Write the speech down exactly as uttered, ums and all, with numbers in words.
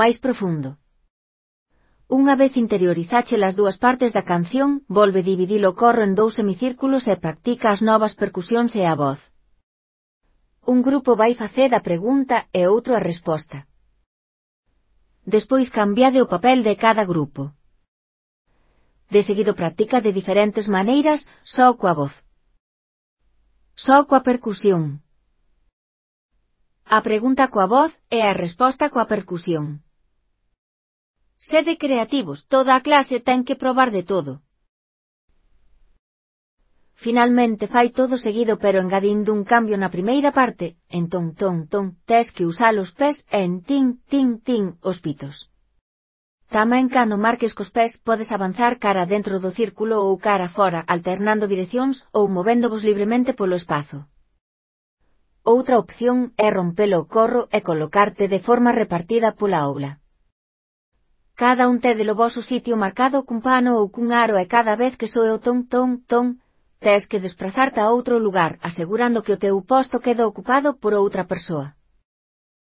máis profundo. Unha vez interiorizache as dúas partes da canción, volve dividir o corro en dous semicírculos e practica as novas percusións e a voz. Un grupo vai facer a pregunta e outro a resposta. Despois cambiade o papel de cada grupo. De seguido practica de diferentes maneiras, só coa voz. Só coa percusión. A pregunta coa voz e a resposta coa percusión. Sede creativos, toda a clase ten que probar de todo. Finalmente fai todo seguido pero engadindo un cambio na primeira parte, en ton ton ton, tes que usar os pés e en tin tin tin os pitos. Tamén cando marques cos pés podes avanzar cara dentro do círculo ou cara fora alternando direccións ou movéndovos libremente polo espazo. Outra opción é rompelo o corro e colocarte de forma repartida pola aula. Cada un té de lo voso sitio marcado cun pano ou cun aro e cada vez que soe o ton ton ton, tes que desplazarte a outro lugar asegurando que o teu posto queda ocupado por outra persoa.